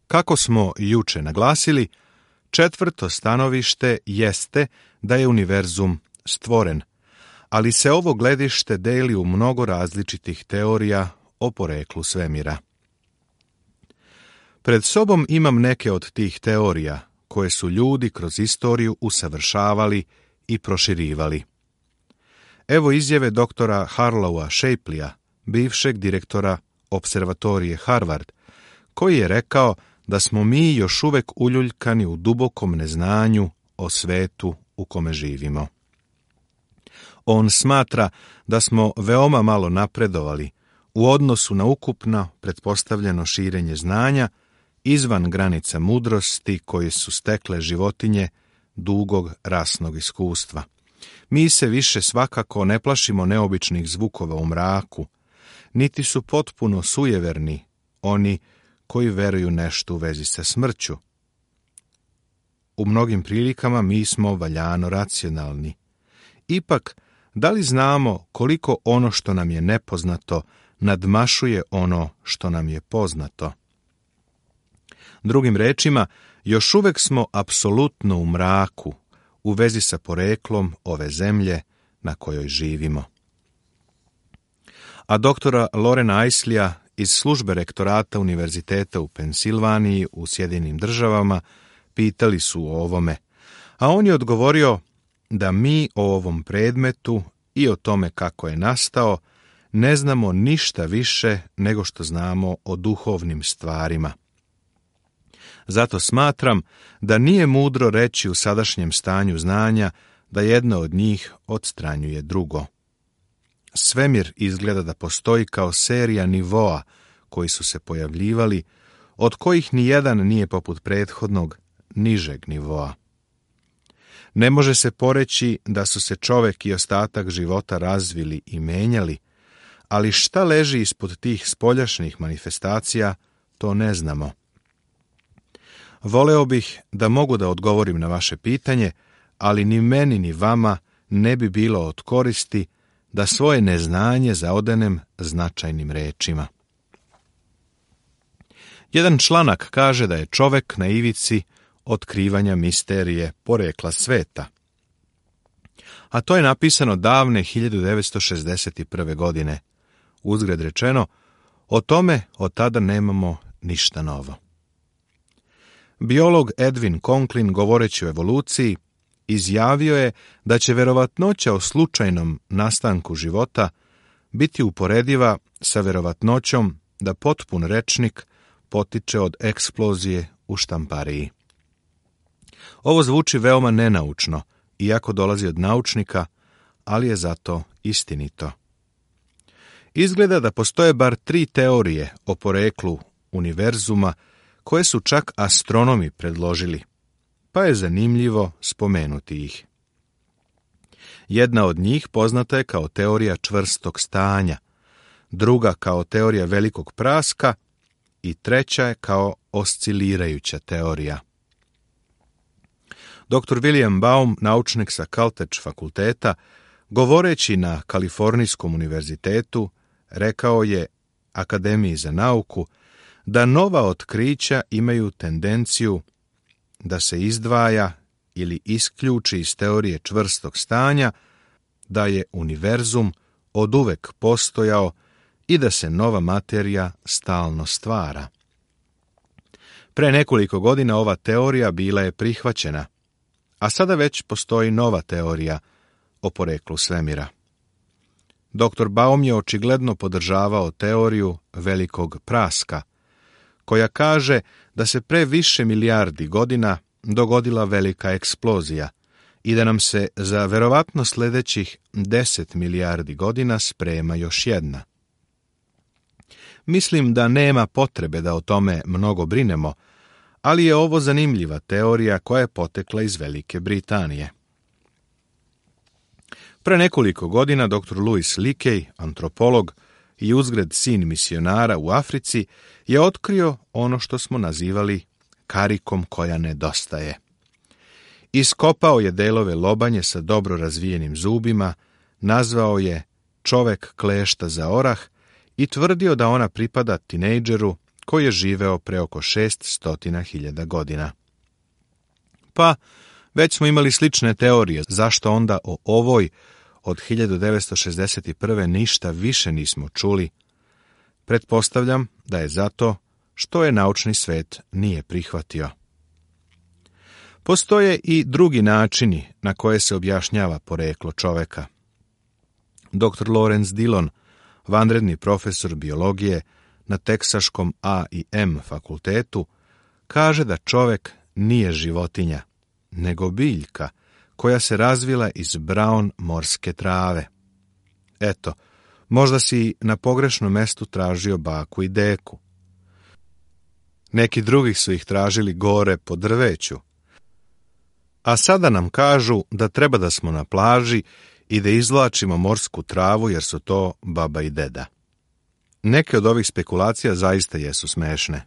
Kako smo juče naglasili, četvrto stanovište jeste da je univerzum stvoren, ali se ovo gledište deli u mnogo različitih teorija o poreklu svemira. Pred sobom imam neke od tih teorija koje su ljudi kroz istoriju usavršavali i proširivali. Evo izjave doktora Harlowa Shapleya, bivšeg direktora observatorije Harvard, koji je rekao da smo mi još uvek uljuljkani u dubokom neznanju o svetu u kome živimo. On smatra da smo veoma malo napredovali u odnosu na ukupno pretpostavljeno širenje znanja izvan granica mudrosti koje su stekle životinje dugog rasnog iskustva. Mi se više svakako ne plašimo neobičnih zvukova u mraku, niti su potpuno sujeverni oni koji veruju nešto u vezi sa smrću. U mnogim prilikama mi smo valjano racionalni. Ipak, da li znamo koliko ono što nam je nepoznato nadmašuje ono što nam je poznato? Drugim rečima, još uvek smo apsolutno u mraku u vezi sa poreklom ove zemlje na kojoj živimo. A doktora Lorena Eisleya iz službe rektorata Univerziteta u Pensilvaniji u Sjedinjenim Državama pitali su o ovome, a on je odgovorio da mi o ovom predmetu i o tome kako je nastao ne znamo ništa više nego što znamo o duhovnim stvarima. Zato smatram da nije mudro reći u sadašnjem stanju znanja da jedna od njih odstranjuje drugo. Svemir izgleda da postoji kao serija nivoa koji su se pojavljivali, od kojih nijedan nije poput prethodnog nižeg nivoa. Ne može se poreći da su se čovek i ostatak života razvili i menjali, ali šta leži ispod tih spoljašnjih manifestacija, to ne znamo. Voleo bih da mogu da odgovorim na vaše pitanje, ali ni meni ni vama ne bi bilo od koristi da svoje neznanje zaodenem značajnim rečima. Jedan članak kaže da je čovek na ivici otkrivanja misterije porekla sveta. A to je napisano davne 1961. godine. Uzgred rečeno, o tome od tada nemamo ništa novo. Biolog Edwin Conklin, govoreći o evoluciji, izjavio je da će verovatnoća o slučajnom nastanku života biti uporediva sa verovatnoćom da potpun rečnik potiče od eksplozije u štampariji. Ovo zvuči veoma nenaučno, iako dolazi od naučnika, ali je zato istinito. Izgleda da postoje bar 3 teorije o poreklu univerzuma koje su čak astronomi predložili, pa je zanimljivo spomenuti ih. Jedna od njih poznata je kao teorija čvrstog stanja, druga kao teorija velikog praska i treća je kao oscilirajuća teorija. Dr. William Baum, naučnik sa Caltech fakulteta, govoreći na Kalifornijskom univerzitetu, rekao je Akademiji za nauku da nova otkrića imaju tendenciju da se izdvaja ili isključi iz teorije čvrstog stanja, da je univerzum oduvek postojao i da se nova materija stalno stvara. Pre nekoliko godina ova teorija bila je prihvaćena, a sada već postoji nova teorija o poreklu svemira. Dr. Baum je očigledno podržavao teoriju velikog praska, koja kaže da se pre više milijardi godina dogodila velika eksplozija i da nam se za verovatno sljedećih 10 milijardi godina sprema još jedna. Mislim da nema potrebe da o tome mnogo brinemo, ali je ovo zanimljiva teorija koja je potekla iz Velike Britanije. Pre nekoliko godina dr. Louis Leakey, antropolog i uzgred sin misionara u Africi, je otkrio ono što smo nazivali karikom koja nedostaje. Iskopao je delove lobanje sa dobro razvijenim zubima, nazvao je čovek klešta za orah i tvrdio da ona pripada tinejdžeru koji je živeo pre oko 600.000 godina. Pa, već smo imali slične teorije, zašto onda o ovoj od 1961. ništa više nismo čuli? Pretpostavljam da je zato što je naučni svet nije prihvatio. Postoje i drugi načini na koje se objašnjava poreklo čoveka. Dr. Lawrence Dillon, vanredni profesor biologije na Teksaškom A&M fakultetu, kaže da čovek nije životinja, nego biljka koja se razvila iz brown morske trave. Eto, možda si na pogrešnom mestu tražio baku i deku. Neki drugi su ih tražili gore po drveću. A sada nam kažu da treba da smo na plaži i da izvlačimo morsku travu jer su to baba i deda. Neke od ovih spekulacija zaista jesu smešne.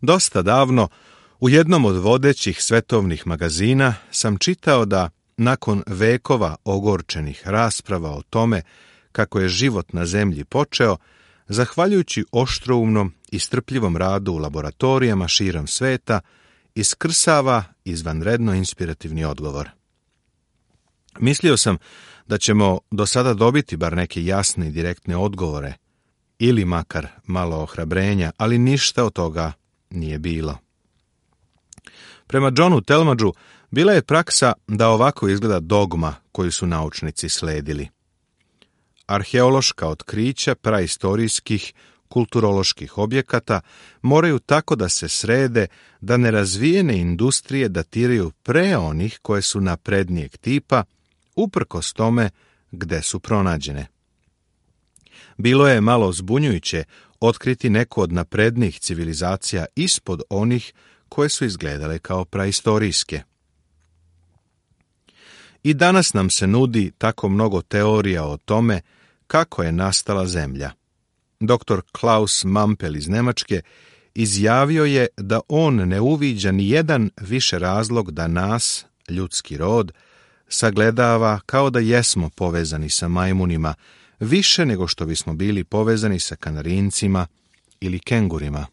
Dosta davno, u jednom od vodećih svetovnih magazina sam čitao da, nakon vekova ogorčenih rasprava o tome kako je život na zemlji počeo, zahvaljujući oštroumnom i strpljivom radu u laboratorijama širom sveta, iskrsava izvanredno inspirativni odgovor. Mislio sam da ćemo do sada dobiti bar neke jasne i direktne odgovore, ili makar malo ohrabrenja, ali ništa od toga nije bilo. Prema Johnu Talmadgeu bila je praksa da ovako izgleda dogma koju su naučnici sledili. Arheološka otkrića praistorijskih kulturoloških objekata moraju tako da se srede da nerazvijene industrije datiraju pre onih koje su naprednijeg tipa, uprkos tome gde su pronađene. Bilo je malo zbunjujuće otkriti neku od naprednijih civilizacija ispod onih koje su izgledale kao praistorijske. I danas nam se nudi tako mnogo teorija o tome kako je nastala Zemlja. Dr. Klaus Mampel iz Nemačke izjavio je da on ne uviđa ni jedan više razlog da nas, ljudski rod, sagledava kao da jesmo povezani sa majmunima, više nego što bismo bili povezani sa kanarincima ili kengurima.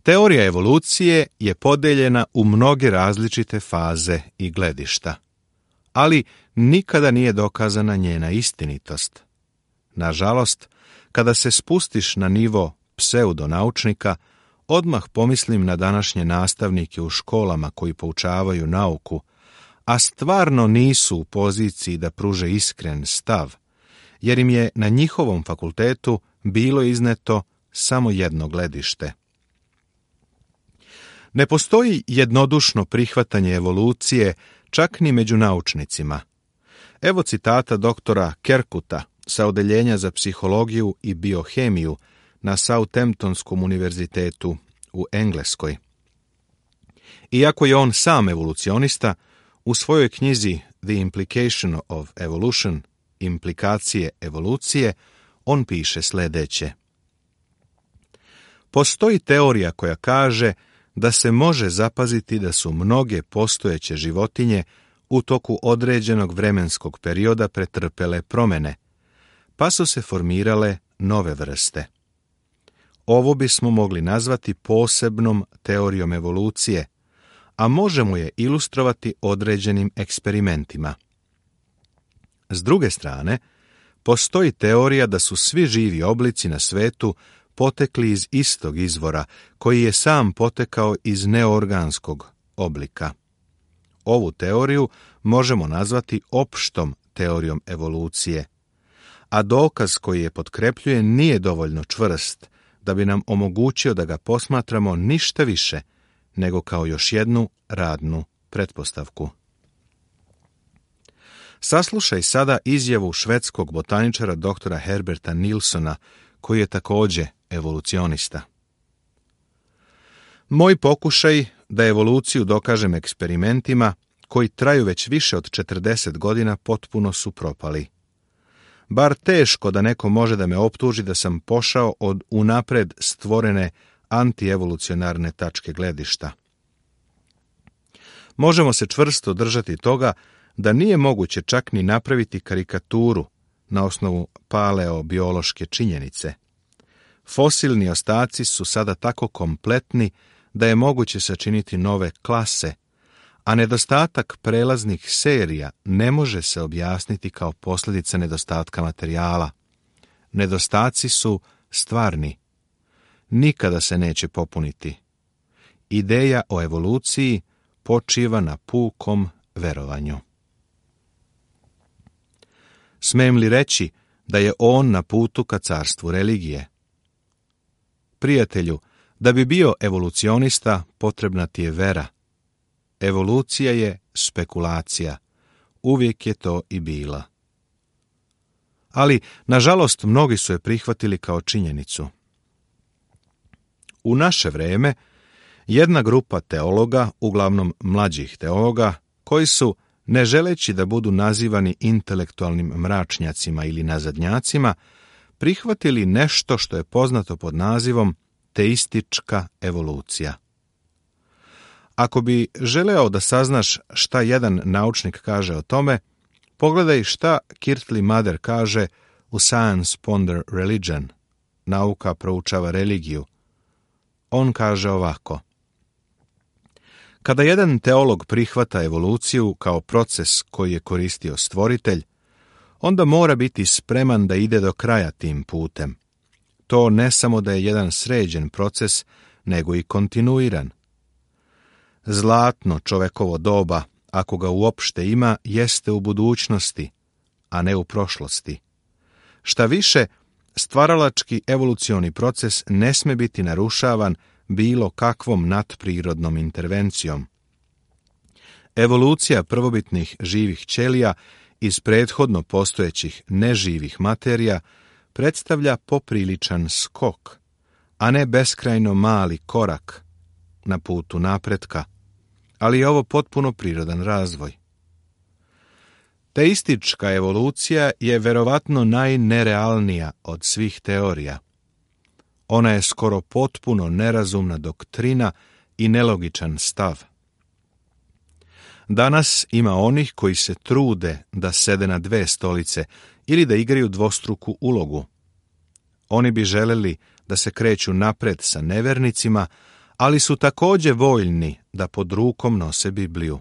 Teorija evolucije je podeljena u mnoge različite faze i gledišta, ali nikada nije dokazana njena istinitost. Nažalost, kada se spustiš na nivo pseudonaučnika, odmah pomislim na današnje nastavnike u školama koji poučavaju nauku, a stvarno nisu u poziciji da pruže iskren stav, jer im je na njihovom fakultetu bilo izneto samo jedno gledište. Ne postoji jednodušno prihvatanje evolucije čak ni među naučnicima. Evo citata doktora Kerkuta sa Odeljenja za psihologiju i biohemiju na Southamptonskom univerzitetu u Engleskoj. Iako je on sam evolucionista, u svojoj knjizi The Implication of Evolution, implikacije evolucije, on piše sledeće. Postoji teorija koja kaže da se može zapaziti da su mnoge postojeće životinje u toku određenog vremenskog perioda pretrpele promene, pa su se formirale nove vrste. Ovo bismo mogli nazvati posebnom teorijom evolucije, a možemo je ilustrovati određenim eksperimentima. S druge strane, postoji teorija da su svi živi oblici na svetu potekli iz istog izvora, koji je sam potekao iz neorganskog oblika. Ovu teoriju možemo nazvati opštom teorijom evolucije, a dokaz koji je potkrepljuje nije dovoljno čvrst da bi nam omogućio da ga posmatramo ništa više nego kao još jednu radnu pretpostavku. Saslušaj sada izjavu švedskog botaničara doktora Herberta Nilssona, koji je također evolucionista. Moj pokušaj da evoluciju dokažem eksperimentima koji traju već više od 40 godina potpuno su propali. Bar teško da neko može da me optuži da sam pošao od unapred stvorene antievolucionarne tačke gledišta. Možemo se čvrsto držati toga da nije moguće čak ni napraviti karikaturu na osnovu paleobiološke činjenice, Fosilni ostaci su sada tako kompletni da je moguće sačiniti nove klase, a nedostatak prelaznih serija ne može se objasniti kao posljedica nedostatka materijala. Nedostaci su stvarni. Nikada se neće popuniti. Ideja o evoluciji počiva na pukom verovanju. Smijem li reći da je on na putu ka carstvu religije? Prijatelju, da bi bio evolucionista, potrebna ti je vera. Evolucija je spekulacija. Uvijek je to i bila. Ali, nažalost, mnogi su je prihvatili kao činjenicu. U naše vrijeme, jedna grupa teologa, uglavnom mlađih teologa, koji su, ne želeći da budu nazivani intelektualnim mračnjacima ili nazadnjacima, prihvatili nešto što je poznato pod nazivom teistička evolucija. Ako bi želeo da saznaš šta jedan naučnik kaže o tome, pogledaj šta Kirtley Mather kaže u Science Ponder Religion, nauka proučava religiju. On kaže ovako: kada jedan teolog prihvata evoluciju kao proces koji je koristio stvoritelj, onda mora biti spreman da ide do kraja tim putem. To ne samo da je jedan sređen proces, nego i kontinuiran. Zlatno čovekovo doba, ako ga uopšte ima, jeste u budućnosti, a ne u prošlosti. Šta više, stvaralački evolucioni proces ne sme biti narušavan bilo kakvom nadprirodnom intervencijom. Evolucija prvobitnih živih ćelija iz prethodno postojećih neživih materija predstavlja popriličan skok, a ne beskrajno mali korak na putu napretka, ali je ovo potpuno prirodan razvoj. Teistička evolucija je verovatno najnerealnija od svih teorija. Ona je skoro potpuno nerazumna doktrina i nelogičan stav. Danas ima onih koji se trude da sede na dve stolice ili da igraju dvostruku ulogu. Oni bi želeli da se kreću napred sa nevernicima, ali su također voljni da pod rukom nose Bibliju.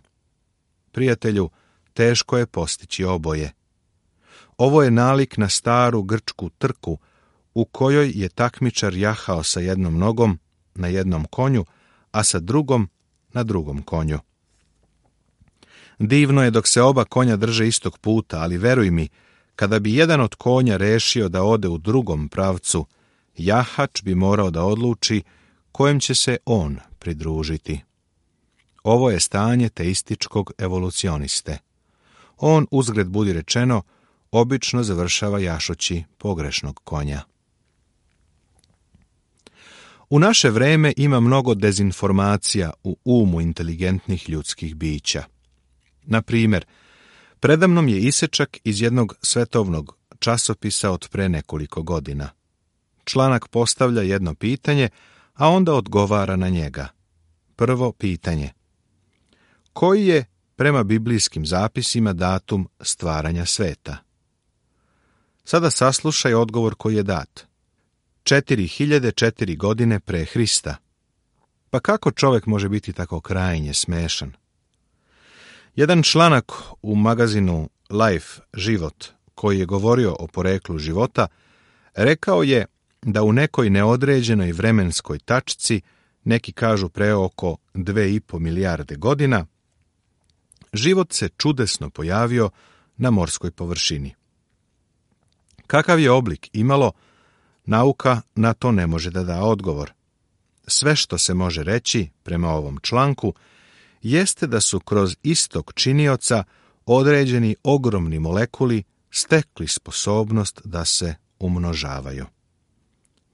Prijatelju, teško je postići oboje. Ovo je nalik na staru grčku trku, u kojoj je takmičar jahao sa jednom nogom na jednom konju, a sa drugom na drugom konju. Divno je dok se oba konja drže istog puta, ali veruj mi, kada bi jedan od konja rešio da ode u drugom pravcu, jahač bi morao da odluči kojem će se on pridružiti. Ovo je stanje teističkog evolucioniste. On, uzgred budi rečeno, obično završava jašući pogrešnog konja. U naše vreme ima mnogo dezinformacija u umu inteligentnih ljudskih bića. Na primjer, predamnom je isečak iz jednog svetovnog časopisa od pre nekoliko godina. Članak postavlja jedno pitanje, a onda odgovara na njega. Prvo pitanje: koji je, prema biblijskim zapisima, datum stvaranja sveta? Sada saslušaj odgovor koji je dat. 4004 godine pre Hrista. Pa kako čovjek može biti tako krajnje smešan? Jedan članak u magazinu Life, život, koji je govorio o poreklu života, rekao je da u nekoj neodređenoj vremenskoj tačci, neki kažu pre oko 2,5 milijarde godina, život se čudesno pojavio na morskoj površini. Kakav je oblik imalo, nauka na to ne može da da odgovor. Sve što se može reći prema ovom članku jeste da su kroz istok činioca određeni ogromni molekuli stekli sposobnost da se umnožavaju.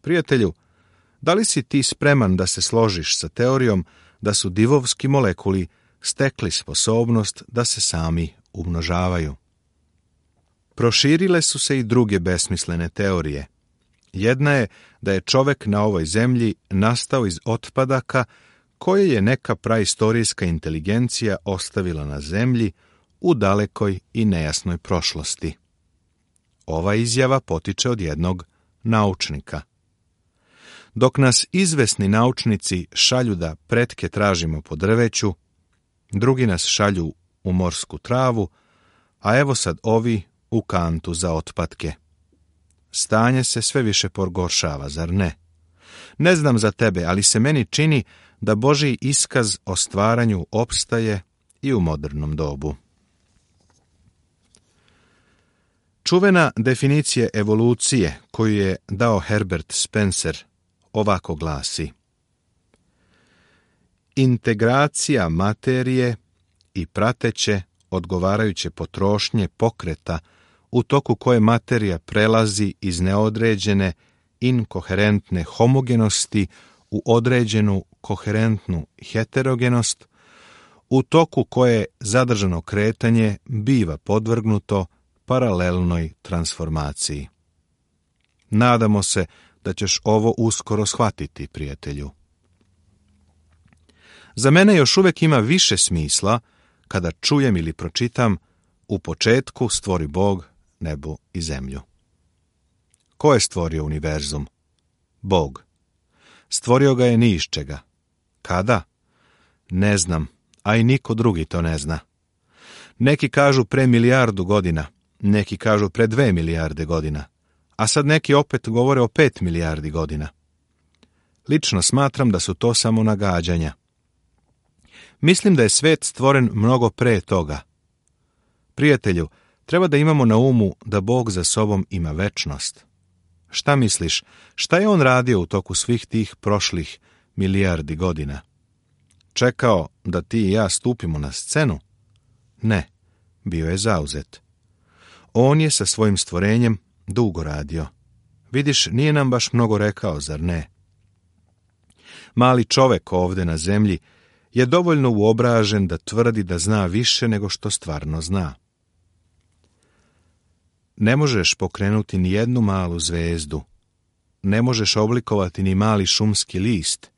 Prijatelju, da li si ti spreman da se složiš sa teorijom da su divovski molekuli stekli sposobnost da se sami umnožavaju? Proširile su se i druge besmislene teorije. Jedna je da je čovek na ovoj zemlji nastao iz otpadaka koje je neka praistorijska inteligencija ostavila na zemlji u dalekoj i nejasnoj prošlosti. Ova izjava potiče od jednog naučnika. Dok nas izvesni naučnici šalju da pretke tražimo po drveću, drugi nas šalju u morsku travu, a evo sad ovi u kantu za otpatke. Stanje se sve više pogoršava, zar ne? Ne znam za tebe, ali se meni čini da Božji iskaz o stvaranju opstaje i u modernom dobu. Čuvena definicija evolucije koju je dao Herbert Spencer ovako glasi: integracija materije i prateće odgovarajuće potrošnje pokreta u toku koje materija prelazi iz neodređene inkoherentne homogenosti u određenu koherentnu heterogenost, u toku koje zadržano kretanje biva podvrgnuto paralelnoj transformaciji. Nadamo se da ćeš ovo uskoro shvatiti, prijatelju. Za mene još uvijek ima više smisla kada čujem ili pročitam: u početku stvori Bog nebo i zemlju. Ko je stvorio univerzum? Bog. Stvorio ga je ni iz čega. Kada? Ne znam, a i niko drugi to ne zna. Neki kažu pre 1.000.000 godina, neki kažu pre 2 milijarde godina, a sad neki opet govore o 5 milijardi godina. Lično smatram da su to samo nagađanja. Mislim da je svet stvoren mnogo pre toga. Prijatelju, treba da imamo na umu da Bog za sobom ima večnost. Šta misliš, šta je on radio u toku svih tih prošlih milijardi godina? Čekao da ti i ja stupimo na scenu? Ne, bio je zauzet. On je sa svojim stvorenjem dugo radio. Vidiš, nije nam baš mnogo rekao, zar ne? Mali čovek ovde na zemlji je dovoljno uobražen da tvrdi da zna više nego što stvarno zna. Ne možeš pokrenuti ni jednu malu zvezdu, ne možeš oblikovati ni mali šumski list,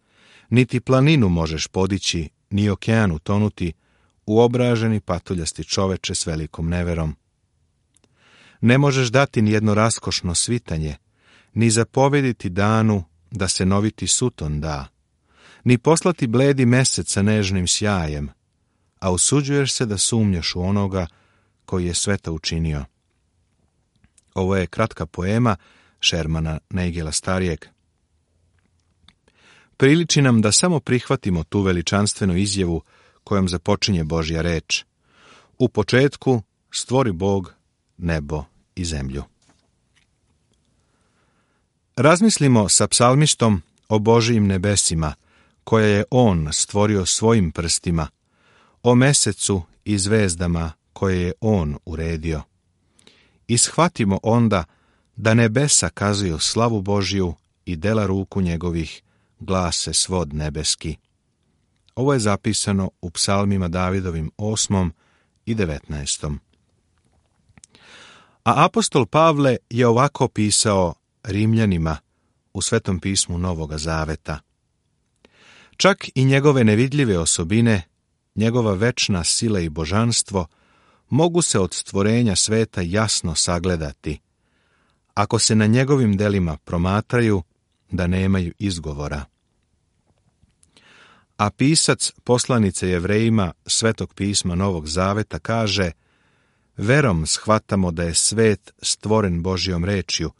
niti planinu možeš podići, ni okean utonuti, uobraženi patuljasti čoveče s velikom neverom. Ne možeš dati ni jedno raskošno svitanje, ni zapovediti danu da se noviti suton da, ni poslati bledi mesec sa nežnim sjajem, a usuđuješ se da sumnjaš u onoga koji je sve to učinio. Ovo je kratka poema Shermana Neigela starijeg. Priliči nam da samo prihvatimo tu veličanstvenu izjavu kojom započinje Božja reč: u početku stvori Bog nebo i zemlju. Razmislimo sa psalmistom o Božijim nebesima, koje je on stvorio svojim prstima, o mesecu i zvezdama koje je on uredio. I shvatimo onda da nebesa kazuju slavu Božju i dela ruku njegovih glase svod nebeski. Ovo je zapisano u psalmima Davidovim 8. i 19. A apostol Pavle je ovako pisao Rimljanima u Svetom pismu Novoga Zaveta: čak i njegove nevidljive osobine, njegova večna sila i božanstvo mogu se od stvorenja sveta jasno sagledati, ako se na njegovim delima promatraju, da nemaju izgovora. A pisac poslanice Jevrejima Svetog pisma Novog Zaveta kaže: verom shvatamo da je svet stvoren Božjom rečju,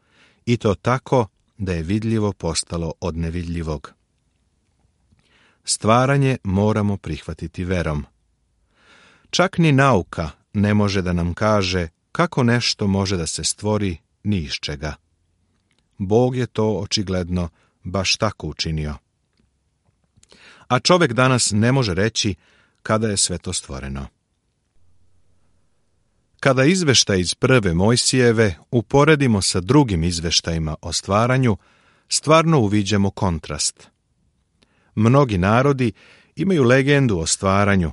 i to tako da je vidljivo postalo od nevidljivog. Stvaranje moramo prihvatiti verom. Čak ni nauka ne može da nam kaže kako nešto može da se stvori ni iz čega. Bog je to očigledno baš tako učinio. A čovjek danas ne može reći kada je sve to stvoreno. Kada izveštaj iz prve Mojsijeve uporedimo sa drugim izveštajima o stvaranju, stvarno uviđamo kontrast. Mnogi narodi imaju legendu o stvaranju,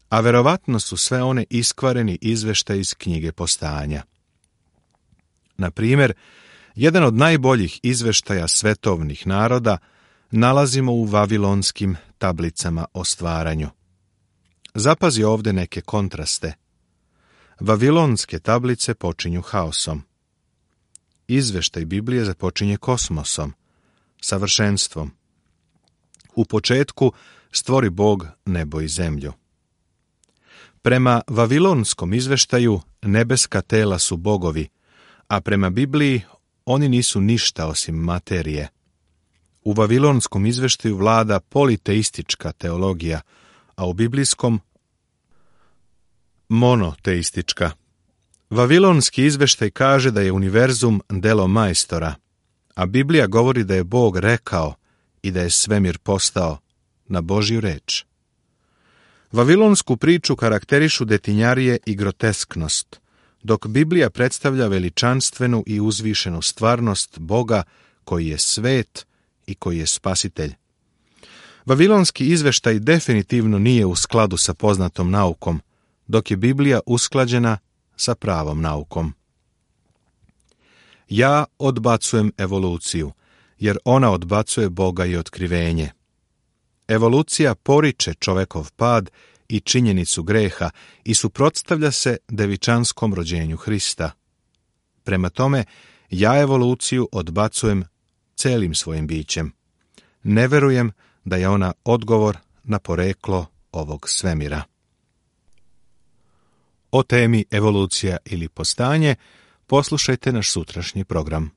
a verovatno su sve one iskvareni izveštaj iz knjige Postanja. Na primjer, jedan od najboljih izveštaja svetovnih naroda nalazimo u vavilonskim tablicama o stvaranju. Zapazi ovdje neke kontraste. Vavilonske tablice počinju haosom. Izveštaj Biblije započinje kosmosom, savršenstvom. U početku stvori Bog nebo i zemlju. Prema vavilonskom izveštaju nebeska tela su bogovi, a prema Bibliji oni nisu ništa osim materije. U vavilonskom izveštaju vlada politeistička teologija, a u biblijskom monoteistička. Vavilonski izveštaj kaže da je univerzum delo majstora, a Biblija govori da je Bog rekao i da je svemir postao na Božju reč. Vavilonsku priču karakterišu detinjarije i grotesknost, dok Biblija predstavlja veličanstvenu i uzvišenu stvarnost Boga koji je svet i koji je spasitelj. Vavilonski izveštaj definitivno nije u skladu sa poznatom naukom, dok je Biblija usklađena sa pravom naukom. Ja odbacujem evoluciju, jer ona odbacuje Boga i otkrivenje. Evolucija poriče čovekov pad i činjenicu greha i suprotstavlja se devičanskom rođenju Hrista. Prema tome, ja evoluciju odbacujem celim svojim bićem. Ne verujem da je ona odgovor na poreklo ovog svemira. O temi evolucija ili postanje poslušajte naš sutrašnji program.